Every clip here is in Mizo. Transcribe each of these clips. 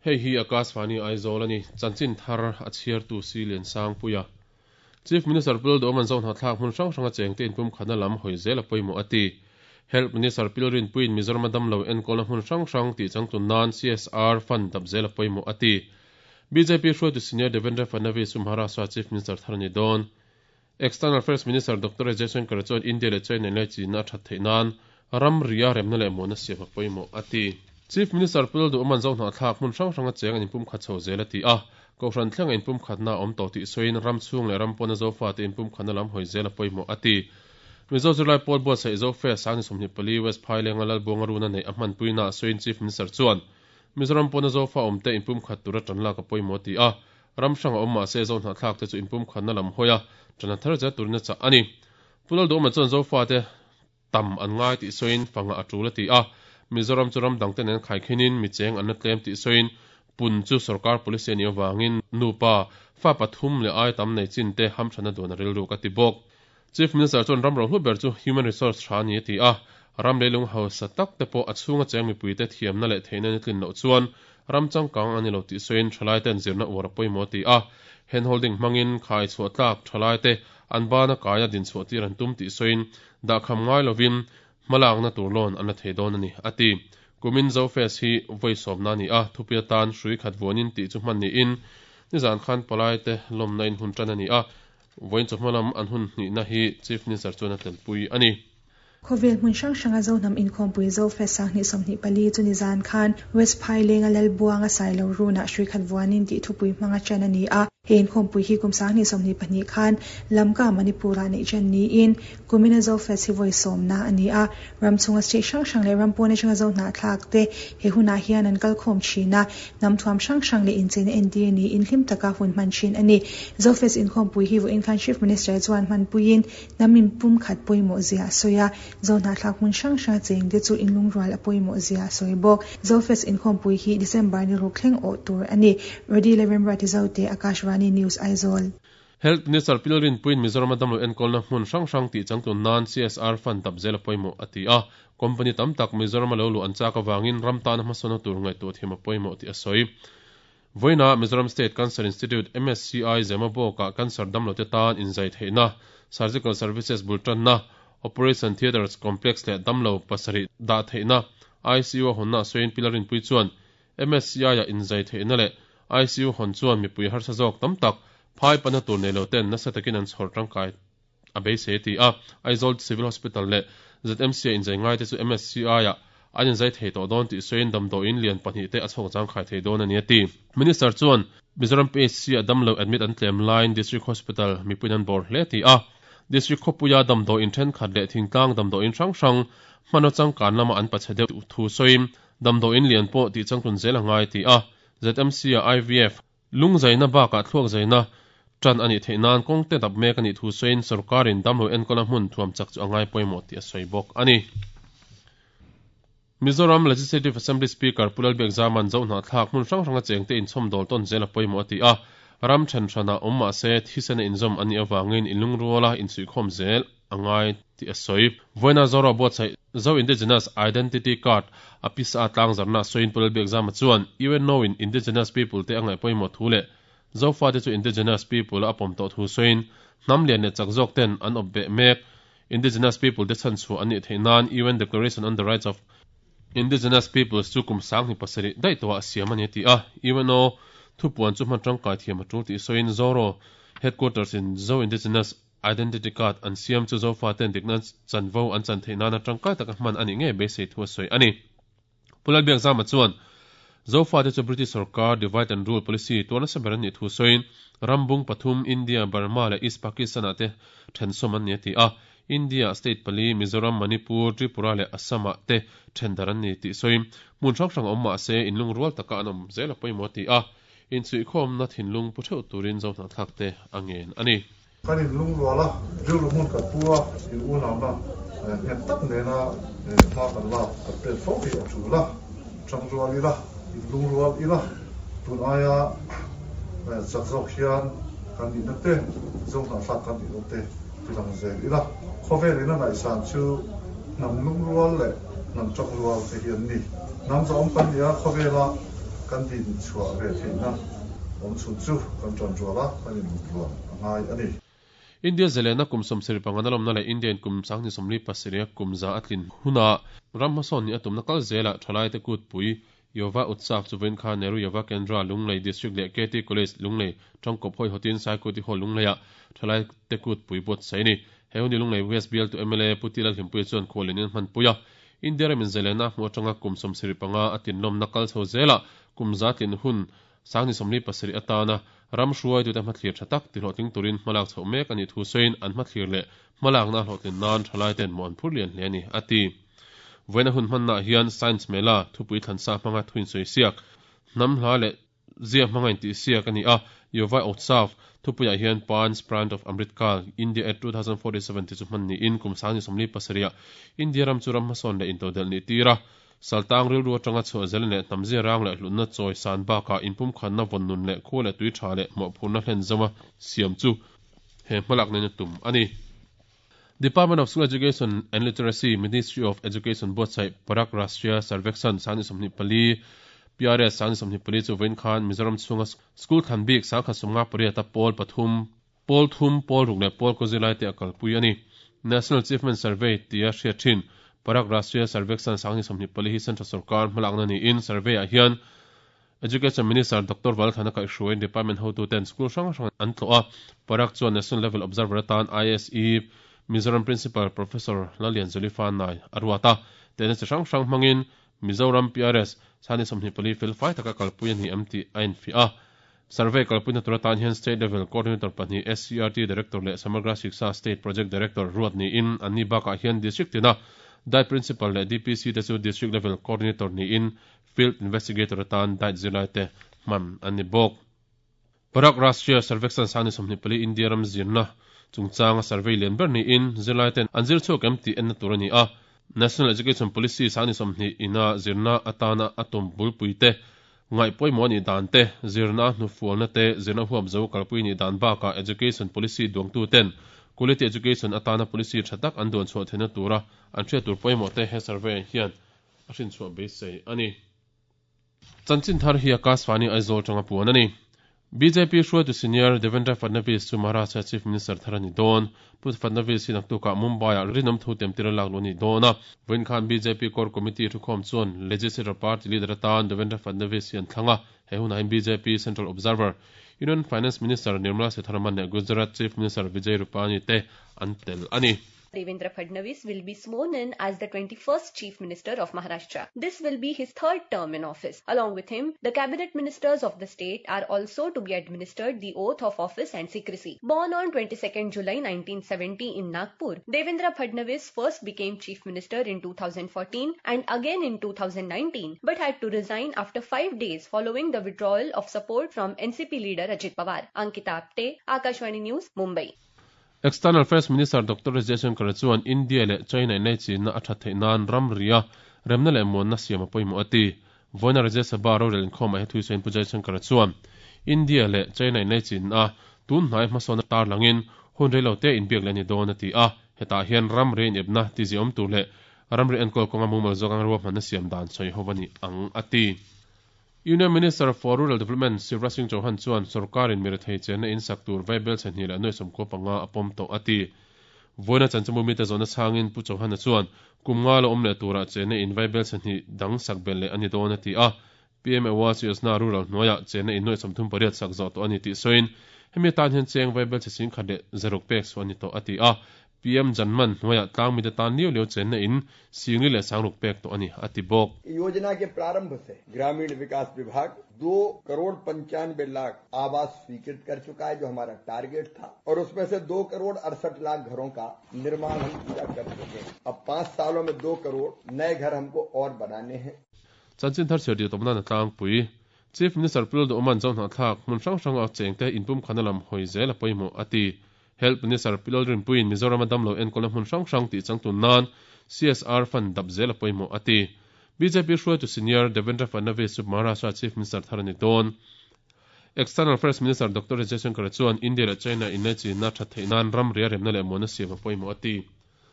Hei hi Akashvani Aizawl a ni. Chanchin thar a chhiartu Si Liansangpuia. Chief Minister Pu Lalduhawm an zohnahthlak hmun hrang hranga chengte inpumkhatna lam hawi zel a pawimawh a ti. Health Minister Pi Lalrinpuiin Mizoram a damlo enkawlna hmun hrang hrang tih changtlun nan CSR fund dap zel a pawimawh a ti. Bjp hruaitu Senior Devendra Fadnavis chu Maharashtra Chief Minister thar a ni dawn. External Affairs Minister Doctor S Jaishankar chuan India leh China inlaichinna a that theih nan ramri a remna leh muanna siam a pawimawh a ti. Chief Minister Pu Lalduhawman Zohnahthlak hmun hrang hranga cheng an inpumkhat chho zel a ti a, Kohhran thlenga inpumkhatna a awm tawh tih sawiin ram chhung leh ram pawna Zofate inpumkhatna lam hawi zel a pawimawh a ti. Mizo zirlai pawl buatsaih Zofe Sangni 24 West Phailenga Lalbuanga runa neih a hmanpuina sawiin Chief Minister chuan Mizoram pawna Zofa awmte inpumkhat tura tanlak a pawimawh a ti a, Ram hrang a awm mah se Zohnahthlak te chu inpumkhatna lam hawi a, ṭana thar zel turin a chah a ni. Pu Lalduhawma chuan Zofate tam an ngai tih sawiin fangah a ṭul a ti a, Mizoram chu ram dangte nen khaikhinin mi cheng an la tlem tih sawiin pun chu sorkar policy a nih avangin nupa, fa pathum leh ai tam nei chin te hamṭhatna duan a rilruk a ti bawk. Chief Minister chuan ram rohlu ber chu human resource ṭha a ni a ti a, ram leilung hausa tak te pawh a chhunga cheng mipuite thiamna leh theihna ni tlin loh chuan ram changkang a ni lo tih sawiin ṭhalaite'n zirna uar a pawimawh a ti a, hand holding hmangin khai chhuah tlak ṭhalaite an bana kaia dinchhuah tir an tum tih sawiin dahkham ngai lovin hmalakna tur loan an la thei dawn a ni a ti. Kumin Zofest hi vawi sawmna a ni a, thupui atan hrui khat vuanin tih chu hman niin nizan khan palaite lawmna in hun ṭan a ni a, Vawiin chawhma lam an hun hnihna hi Chief Minister chuan a telpui a ni. Khawvel hmun hrang hranga Zohnam inkhawmpui Zofest 2024 chu nizan khan West Phailenga Lalbuanga Sailo Runah hrui khat vuanin tih thupui hmanga ṭan a ni a. He inkhawmpui hi kum 2022 khan Lamka, Manipur-ah neih ṭan niin kumina Zofest hi vawi sawmna a ni a. Ram chhunga state hrang hrang leh ram pawn atanga Zohnahthlak te he hunah hian an kal khawm thin a, hnam thuam hrang hrang leh incheina entir niin hlim taka hun hman thin a ni. Zofest inkhawmpui hi vawiin khan Chief Minister chuan hmanpuiin hnam inpumkhat pawimawh zia a sawi a, Zohnahthlak hmun hrang hranga chengte chu inlungrual a pawimawh zia a sawi bawk. Zofest inkhawmpui hi December ni ruk thleng awh tur a ni. Rody Lalremruati Zote, Akashvani News, Aizawl. Health Minister Pi Lalrinpuiin Mizorama damlo enkawlna hmun hrang hrang tih changtlun nan CSR fund dap zel a pawimawh a ti a. Company tam tak Mizorama lo luh an chak avangin ram tana hmasawnna tur ngaihtuah thiam a pawimawh tih a sawi. Vawiinah Mizoram State Cancer Institute, MSCI, Zemabawkah cancer damlote tan inzai theihna, Surgical Services bul tanna, Operation Theatres Complex leh damlo pasarih dah theihna ICU a hawnna a sawiin Pi Lalrinpui chuan MSCI-a inzai theihna leh ICU hawn chuan mipui harsa zawk tam tak phai pana tur nei lo ten nasa takin an chhawr tangkai a beisei a ti a. Aizawl Civil Hospital leh ZMC-a inzai ngaite chu MSCI-ah an inzai thei tawh dawn tih sawiin damdawiin lian pahnih te a chhawk zangkhai thei dawn a ni a ti. Minister chuan Mizoram PHC-a damlo admit an tlem laiin District Hospital mipuiin an bawr hle a ti a. District khawpuia damdawiin thenkhat leh thingtlang damdawiin hrang hrang hmanraw changkan lama an pachhe deuh thu sawiin Damdawiin lian pawh tih changtlun zel a ngai ti a, ZMC-a IVF, lungzaina bakah thluakzaina tan a nih theih nan kawng te dap mek a nih thu sawiin sorkarin damlo enkawlna hmun thuam chak chu a ngai pawimawh tih a sawi bawk a ni. Mizoram Legislative Assembly Speaker Pu Lalbiakzama'n Zohnahthlak hmun hrang hranga chengte inchhawmdawl tawn zel a pawimawh a ti a, ram then hranah awm mah se thisena inzawm a nih avangin inlungruala insuihkhawm zel a ngai tih a sawi. Vawiina Zoro buatsaih Zo Indigenous Identity Card a pisa tlangzarna sawiin Pu Lalbiakzama chuan UNO in Indigenous People te a ngaih pawimawh thu leh Zofate chu Indigenous People a pawm tawh thu sawiin hnam lian leh chak zawk ten an awp beh mek Indigenous People te chhanchhuah an nih theih nan UN Declaration on the Rights of Indigenous Peoples chu kum 2007 daih tawhah siam a ni a ti a. UNO thupuan chu hman tangkai thiam a tul tih sawiin Zoro Headquarters in Zo Indigenous Identity Card an siam chu Zofaten dikna chanvo an chan theih nana tangkai taka hman a nih ngei beisei thu a sawi a ni. Pu Lalbiakzama chuan Zofate chu British sorkar Divide and Rule Policy tuar nasa ber an nih thu sawiin rambung pathum India, Burma leh East Pakistan-ah te thensawm an ni a ti a. India-ah state pali Mizoram, Manipur, Tripura leh Assam-ah te thendar an ni tih sawiin hmun hrang hrang awm mahse inlungrual taka an awm zel a pawimawh a ti a. Inchhuihkhawmna thinlung pu theuh turin Zohnahthlak te a ngen a ni. Kan inlungrual a, rilru hmun kan pu a, in unauna nghet tak nena hma kan lak kan pek fo hi a tul a, tangrual ila, inlungrual ila, tun aia chak zawk hian kan nihna te, Zohnahthlak kan nihna te tilang zel ila. Khawvel in a ngaihsan chu hnam lungrual leh hnam tangrual te hi an ni. Hnam zahawm kan ni a, khawvela Kan din chhuah ve theihna awm chhun chu kan ṭanrual a, kan inlungrual a ngai a ni. India zalena kum 75 na lawmna leh India in kum 2037 a kum za a tlin huna ram hmasawn nih a tumna kal zelah thalaite kutpui Yuva Utsav chu vawiin khan Nehru Yuva Kendra, Lunglei District leh KT College, Lunglei tangkawp hawihawtin Saikuti Hall Lungleiah thalaite kutpui buatsaih a ni. He hun hi Lunglei West bialtu mla Pu Tila Hlimpuia chuan khualin in hmanpui a. India ramin zalena a hmuh atanga kum 75 a tinlawmna kal chho zelah kum za tlin hun 2037 atana ram hruaitute hmathlir tha tak tihlawhtling turin hmalak chhoh mek a nih thu sawiin an hmathlir leh hmalakna a hlawhtlin nan thalaiten mawh an phur lian hle a ni, a ti. Vawiina hun hmannaah hian Science Mela thupui thlansa hmanga thu insawi siak, hnam hla leh zia hmanga intihsiak a ni a, Yuva Utsav thupuiah hian Panch Pran of Amrit Kaal, India at 2047 tih chu hman niin kum 2037 ah India ram chu ram hmasawn leh intodelh nih tir a, Saltang rilru atanga chhuah zel leh hnamzia rang leh hlutna chawi san bakah inpumkhatna vawn nun leh khua leh tui tha leh mawhphurhna hlen zawnga siam chu he hmalak nen a tum a ni. Department of School Education and Literacy, Ministry of Education buatsaih Parak Rashtriya Sarvekshan 2024, PRS 2024 chu vawiin khan Mizoram chhunga school thlan bik 1058 a pawl pathum, Pawl thum, pawl ruk leh pawl kaw zirlai te a kalpui a ni. National Achievement Survey tia hriat thin Parag Rashtriya Sarvekshan 2024 hi Central Sorkar hmalakna niin survey ah hian Education Minister Doctor Valthana kaihhruaiin department hotuten school hrang hrang an tlawh a. Parag chuan National Level Observer atan ISE Mizoram Principal Professor Lallianzuli Fanai a ruat a. Tehna chi hrang hrang hmangin Mizoram PRS 2024 felfai taka kalpui a ni em tih a infiah a. Survey kalpuina tur atan hian State Level Coordinator pahnih, SCERT Director leh Samagra Shiksha State Project Director ruat niin anni bakah hian District tina Diet Principal leh DPC te chu District Level Coordinator niin Field Investigator atan Diet zirlaite hman an ni bawk. Parag Rashtriya Sarvekshan 2024 India ram zirna chungchanga survey lian ber niin zirlaiten an zir chhuak em tih enna tur a ni a. National Education Policy 2020 ina zirna atana a tum bulpuite Ngaih pawimawh nih dan te, zirna hnufualna te, zirna huap zo kalpui nih dan bakah Education Policy duangtu ten Quality Education atana policy tha tak an duan chhuah theihna tura an hriat tur pawimawh te he survey hian a hrinchhuah beisei a ni. Chanchin thar hi Akashvani Aizawl tanga puan a ni. Bjp hruaitu senior Devendra Fadnavis chu Maharashtra Chief Minister thar a ni dawn. Pu Fadnavis hi naktukah Mumbai-ah rinawm thu temtir a lak luh a ni dawn a. Vawiin khan bjp Core Committee thukhawm chuan Legislature Party leader atan Devendra Fadnavis hi an thlang a. He hunah hian bjp Central Observer, Union Finance Minister Nirmala Sitharaman leh Gujarat Chief Minister Vijay Rupani te an tel a ni. Devendra Fadnavis will be sworn in as the 21st Chief Minister of Maharashtra. This will be his third term in office. Along with him, the cabinet ministers of the state are also to be administered the oath of office and secrecy. Born on 22nd July 1970 in Nagpur, Devendra Fadnavis first became Chief Minister in 2014 and again in 2019, but had to resign after five days following the withdrawal of support from NCP leader Ajit Pawar. Ankita Apte, Akashvani News, Mumbai. External Affairs Minister Doctor S Jaishankar chuan India leh China inlaichinna a that theih nan ramria remna leh muanna siam a pawimawh a ti. Vawiina Rajya Sabha rorel inkhawmah he thui sawiin Pu Jaishankar chuan India leh China inlaichinna tun hnai hmasawn tarlangin hun reilo te inbiak leh a ni dawn a ti a. Hetah hian ramri inepna tiziawm tur leh ramri enkawl kawnga mumal zawk anga ruahmanna siam dan sawi ho a ni ang a ti. Union Minister for Rural Development Shivraj Singh Chauhan chuan sorkarin mi rethei chenna in sak tur vaibel chhe hnih leh nuai sawmkua panga a pawm tawh a ti. Vawiina chanchinbu mite zawhna chhangin Pu Chauhan-a chuan kum nga la awm leh turah chenna in vaibel chhe hnih dang sak belh leh a ni dawn a ti a. PM Awas Yojana Rural hnuaiah chenna in nuai 38 sak zawh tawh a ni tih sawiin hemi atan hian cheng vaibel chhe sing khat leh zaruk pek chhuah a ni tawh a ti a. PM Janman hnuaiah tlang mite tan liau liau chenna in singli leh sangruk pek tawh a ni a ti bawk. योजना के प्रारंभ से ग्रामीण विकास विभाग दो करोड़ पंचानवे लाख आवास स्वीकृत कर चुका है जो हमारा टारगेट था और उसमें से दो करोड़ अड़सठ लाख घरों का निर्माण हम पूरा कर चुके हैं अब पांच सालों में दो करोड़ नए घर हमको और बनाने हैं Chanchin thar chhiar tih tawpna na tlangpui. Chief Minister Pu Lalduhawma'n Zohnahthlak hmun hrang hranga chengte inpumkhana lam hawi zel a pawimawh a ti. Health Minister Pi Lalrinpuiin Mizorama damlo enkawlna hmun hrang hrang tih changtun nan CSR fund dap zel a pawimawh a ti. Bjp hruaitu senior Devendra Fadnavis chu Maharashtra Chief Minister thar a ni dawn. External Affairs Minister Doctor S Jaishankar chuan India leh China inlaichinna that theih nan ramri a remna leh muanna siam a pawimawh a ti.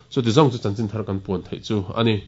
Chuti zawng chu chanchin thar kan puan theih chu a ni.